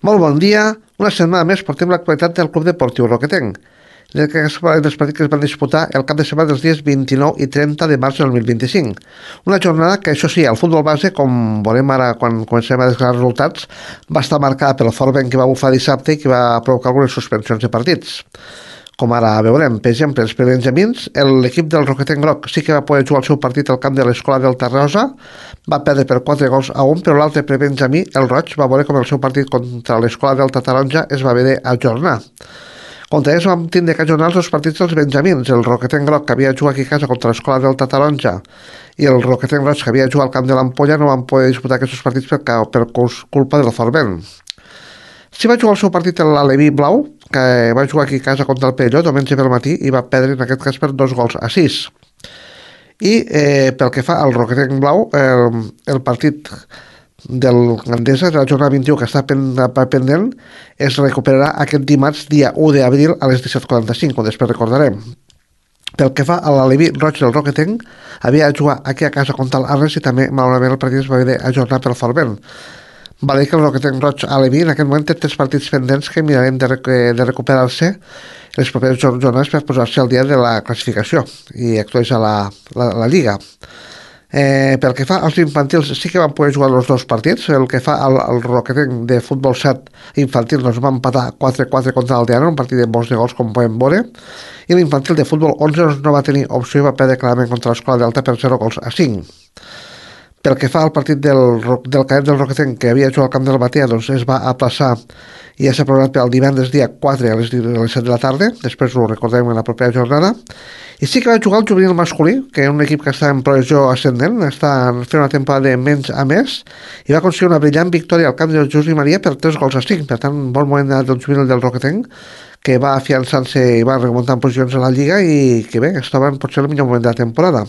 Molt bon dia. Una setmana més portem l'actualitat del Club Deportiu Roquetenc. Dels partits que es van disputar el cap de setmana dels dies 29 i 30 de març del 2025. Una jornada que, això sí, el futbol base, com veurem ara quan comencem a desgranar els resultats, va estar marcada pel fort vent que va bufar dissabte i que va provocar algunes suspensions de partits. Com ara veurem, per exemple, els prebenjamins, l'equip del Roquetenc Groc sí que va poder jugar el seu partit al camp de l'Escola del Tarrosa, va perdre per 4 gols a 1, però l'altre prebenjamí, el Roig, va veure com el seu partit contra l'Escola del Taronja es va haver d'ajornar. Contra ells vam tindre que ajornar els dos partits dels benjamins, el Roquetenc Groc, que havia jugat aquí a casa contra l'Escola del Taronja, i el Roquetenc Roig, que havia jugat al camp de l'Ampolla, no van poder disputar aquests partits per culpa del fort vent. Sí va jugar el seu partit l'Aleví Blau, que va jugar aquí a casa contra el Perelló diumenge pel matí i va perdre en aquest cas per 2 gols a 6. I pel que fa al Roquetenc Blau, el partit del Gandesa, de la jornada 21 que està pendent, es recuperarà aquest dimarts dia 1 d'abril a les 17:45, com després recordarem. Pel que fa a l'Aleví Roig del Roquetenc, havia de jugar aquí a casa contra l'Arles i també, malauradament, el partit es va haver d'ajornar pel fort vent. Val a dir que el Roquetenc Roig a Leví en aquest moment té 3 partits pendents que mirarem de recuperar-se les properes jornades per posar-se al dia de la classificació i actualitzar la Lliga. Pel que fa als infantils, sí que van poder jugar els dos partits. El que fa al Roquetenc de futbol 7 infantil doncs va empatar 4-4 contra l'Aldeana, un partit de molts de gols com podem veure, i l'infantil de futbol 11 doncs, no va tenir opció i va perdre clarament contra l'Escola Delta per 0 gols a 5. Pel que fa al partit del cadet del Roquetenc, que havia jugat al camp del Batea, doncs es va aplaçar i ja s'ha programat per al divendres dia 4 a les 7 de la tarda, després ho recordem en la propera jornada. I sí que va jugar el juvenil masculí, que és un equip que està en progressió ascendent, està fent una temporada de menys a més, i va aconseguir una brillant victòria al camp del José Maria per 3 gols a 5. Per tant, un bon moment del juvenil del Roquetenc, que va afiançant-se i va remuntant posicions a la Lliga i que bé, estava en potser el millor moment de la temporada.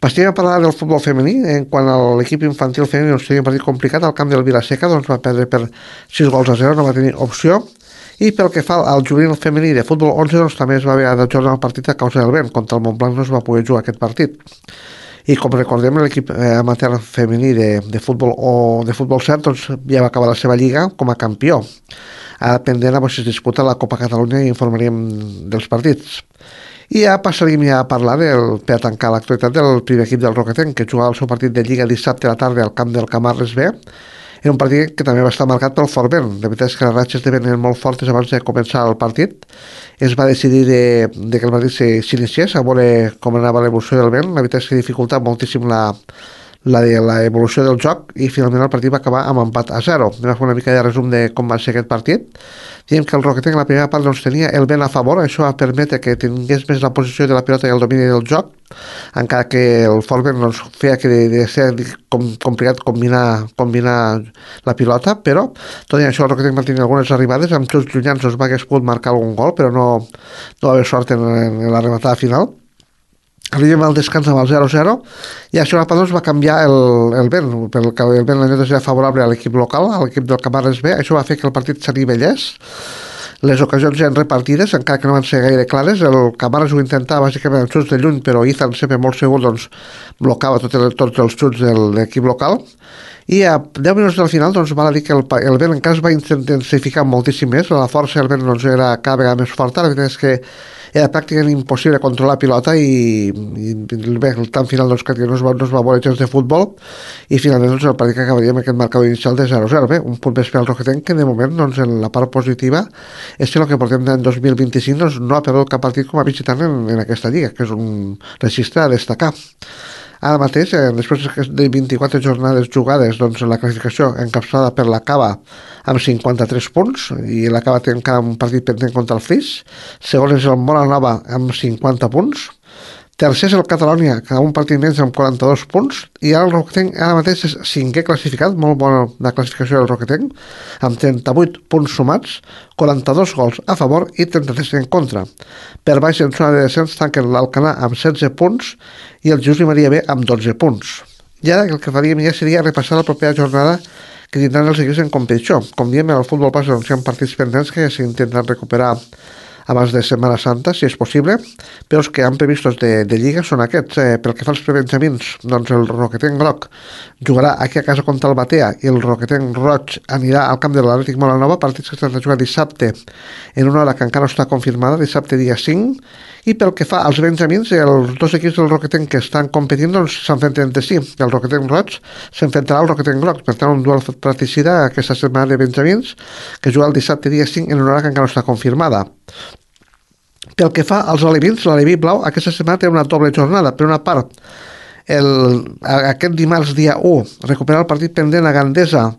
Passem a parlar del futbol femení. En quant a l'equip infantil femení, doncs tenia un partit complicat al camp del Vilaseca, doncs va perdre per 6 gols a 0, no va tenir opció. I pel que fa al juvenil femení de futbol 11, doncs també es va haver d'ajornar el partit a causa del vent. Contra el Montblanc no es va poder jugar aquest partit. I com recordem, l'equip amateur femení de futbol 7 doncs, ja va acabar la seva lliga com a campió. Ara pendent a veure si es disputa la Copa Catalunya i informaríem dels partits. I ja passaríem a parlar per tancar l'actualitat del primer equip del Roquetenc, que jugava el seu partit de Lliga dissabte a la tarda al camp del Camarles B. Era un partit que també va estar marcat pel fort vent. La veritat és que les ratxes venen molt fortes abans de començar el partit. Es va decidir de que el partit s'iniciés, a veure com anava l'evolució del vent. La veritat és que dificultava moltíssim l'evolució del joc i finalment el partit va acabar amb empat a 0. Anem a fer una mica de resum de com va ser aquest partit. Diem que el Roquetenc en la primera part doncs, tenia el vent a favor, això va permetre que tingués més la posició de la pilota i el domini del joc, encara que el fort vent doncs, feia que de ser complicat combinar la pilota, però tot i això el Roquetenc va tenir algunes arribades, amb xuts llunyans doncs, va hagués pogut marcar algun gol, però no va haver sort en la rematada final. Arribem al descans amb el 0-0 i això doncs, va canviar el vent, perquè el vent la neta era favorable a l'equip local, a l'equip del Camarles B. Això va fer que el partit s'anivellés. Les ocasions eren repartides, encara que no van ser gaire clares. El Camarles ho intentava bàsicament amb xuts de lluny, però Ethan, sempre molt segur, doncs, blocava tots els xuts de l'equip local. I a 10 minuts del final doncs, val a dir que el vent encara es va intensificar moltíssim més, la força del vent doncs, era cada vegada més forta. La veritat és que era pràcticament impossible controlar la pilota i bé, el tant final doncs, que no es va veure gens de futbol i finalment doncs, el partit que acabaria amb aquest marcador inicial de 0-0. Bé, un punt més per al Roquetenc que de moment doncs, en la part positiva és que el que portem d'any 2025 doncs, no ha perdut cap partit com a visitant en aquesta lliga, que és un registre a destacar. Ara mateix, després de 24 jornades jugades, doncs la classificació encapçalada per la Cava amb 53 punts i la Cava té encara un partit pendent contra el Flix. Segon és el Molanova amb 50 punts. Tercer és el Catalònia, que ha un partit més amb 42 punts, i ara el Roquetenc ara mateix és 5è classificat, molt bona la classificació del Roquetenc, amb 38 punts sumats, 42 gols a favor i 33 en contra. Per baix en zona de descens tanquen l'Alcanar amb 16 punts i el José Maria B amb 12 punts. I ara el que faríem ja seria repassar la propera jornada que tindran els equips en competició. Com diem, el futbol base doncs, hi ha partits pendents que s'intenten recuperar abans de Setmana Santa, si és possible, però els que han previstos de Lliga són aquests. Pel que fa als prebenjamins, doncs el Roquetenc groc jugarà aquí a casa contra el Batea i el Roquetenc roig anirà al camp de l'Atlètic Molanova, partits que s'han de jugar dissabte en una hora que encara no està confirmada, dissabte dia 5, i pel que fa als benjamins, els dos equips del Roquetenc que estan competint doncs, s'enfronten entre si. El Roquetenc roig s'enfrontarà al Roquetenc groc, per tant un duel fratricida aquesta setmana de benjamins que juga el dissabte dia 5 en una hora que encara no està confirmada. Pel que fa als alevins, l'aleví blau aquesta setmana té una doble jornada. Per una part, aquest dimarts dia 1 recuperar el partit pendent a Gandesa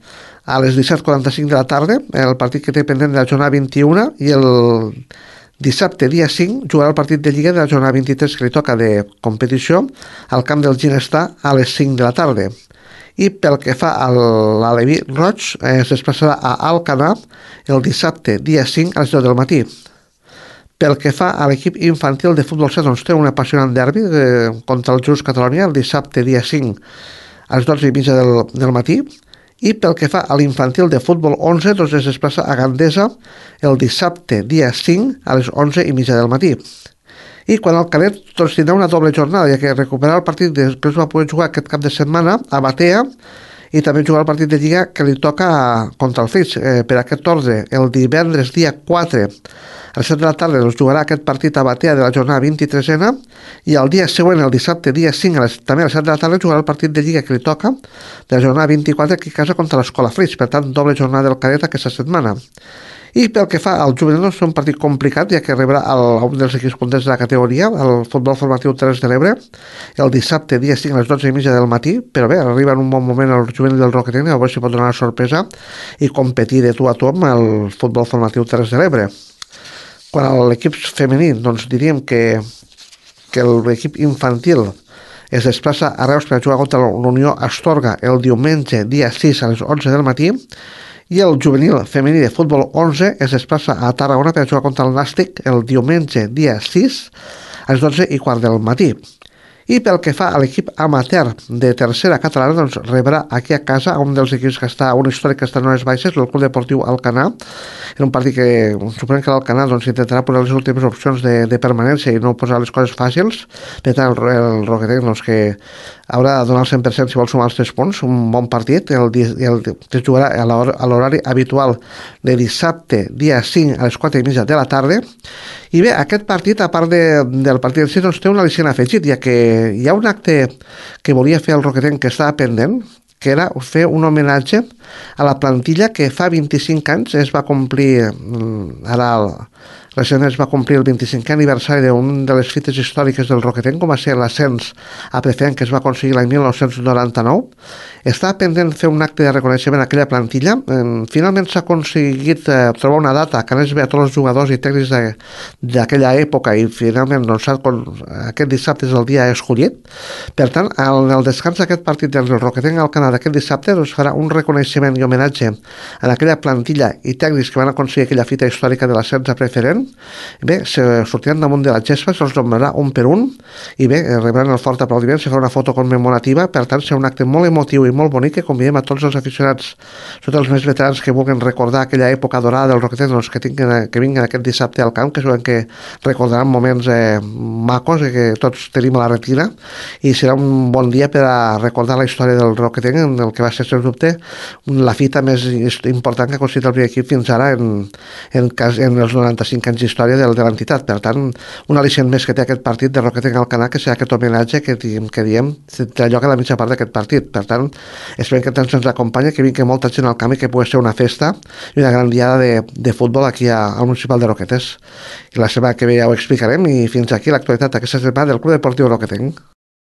a les 17:45 de la tarda, el partit que té pendent de la jornada 21, i el dissabte dia 5 jugarà el partit de Lliga de la jornada 23 que li toca de competició al camp del Ginestar a les 5 de la tarda. I pel que fa a l'aleví roig, es desplaçarà a Alcanar el dissabte dia 5 a les 10 del matí. Pel que fa a l'equip infantil de futbol 7, doncs té un apassionant derbi contra el Just Catalonia el dissabte dia 5 a les 12:30 del matí. I pel que fa a l'infantil de futbol 11, doncs es desplaça a Gandesa el dissabte dia 5 a les 11:30 del matí. I quan el cadet doncs, tindrà una doble jornada, ja que recuperarà el partit que es va poder jugar aquest cap de setmana a Batea i també jugar el partit de Lliga que li toca contra el Flix. Per aquest ordre, el divendres dia 4 a les 7 de la tarda doncs, jugarà aquest partit a Batea de la jornada 23a i el dia següent, el dissabte dia 5 també a les 7 de la tarda jugarà el partit de Lliga que li toca de la jornada 24 aquí a casa contra l'Escola Flix. Per tant, doble jornada del cadet aquesta setmana. I pel que fa al juvenil, és un partit complicat, ja que rebrà un dels equips punters de la categoria, el futbol formatiu Terres de l'Ebre, el dissabte, dia 5, a les 12:30 del matí, però bé, arriba en un bon moment el juvenil del Roquetenc, a veure si pot donar una sorpresa i competir de tu a tu amb el futbol formatiu Terres de l'Ebre. Quan a l'equip femení, doncs diríem que l'equip infantil es desplaça a Reus per jugar contra l'Unió Astorga el diumenge, dia 6, a les 11 del matí, i el juvenil femení de futbol 11 es desplaça a Tarragona per jugar contra el Nàstic el diumenge dia 6 a les 12:15 del matí. I pel que fa a l'equip amateur de tercera catalana, doncs rebrà aquí a casa un dels equips que està, un històric que està en les baixes, el Club Deportiu Alcanar, en un partit que suponem que l'Alcanar doncs, intentarà posar les últimes opcions de permanència i no posar les coses fàcils. Per tant, el Roquetenc doncs, que haurà de donar el 100% si vol sumar els 3 punts, un bon partit, que es jugarà a l'horari habitual de dissabte, dia 5 a les 4:30 de la tarda. I bé, aquest partit, a part del partit en si, doncs, té un al·licient afegit, ja que hi ha un acte que volia fer el Roquetenc que estava pendent, que era fer un homenatge a la plantilla que fa 25 anys es va complir, recentment es va complir el 25è aniversari d'una de les fites històriques del Roquetenc, com va ser l'ascens a preferent que es va aconseguir l'any 1999. Estava pendent fer un acte de reconeixement a aquella plantilla. Finalment s'ha aconseguit trobar una data que anés bé a tots els jugadors i tècnics d'aquella època i finalment doncs, aquest dissabte és el dia escollit. Per tant, en el descans d'aquest partit del Roquetenc al Canadà d'aquest dissabte doncs, farà un reconeixement i homenatge a aquella plantilla i tècnics que van aconseguir aquella fita històrica de l'ascens a preferent. Bé, sortiran damunt de la gespa, se'ls nombrarà un per un i bé, rebran el fort aplaudiment, se farà una foto commemorativa, per tant serà un acte molt emotiu i molt bonic que convidem a tots els aficionats, tots els més veterans que vulguin recordar aquella època dorada del Roquetenc, doncs, que vinguin aquest dissabte al camp, que sabem que recordaran moments macos que tots tenim a la retina, i serà un bon dia per a recordar la història del Roquetenc, en el que va ser, sens dubte, la fita més important que ha aconseguit el primer equip fins ara en els 95 anys d'història de l'entitat. Per tant, un al·licient més que té aquest partit de Roquetenc Alcanar, que serà aquest homenatge que diem té lloc a la mitja part d'aquest partit. Per tant, esperem que tant ens acompanya, que vingui molta gent al camp i que pugui ser una festa i una gran diada de futbol aquí al Municipal de Roquetes. I la setmana que ve ja ho explicarem, i fins aquí l'actualitat d'aquesta setmana del Club Deportiu Roquetenc.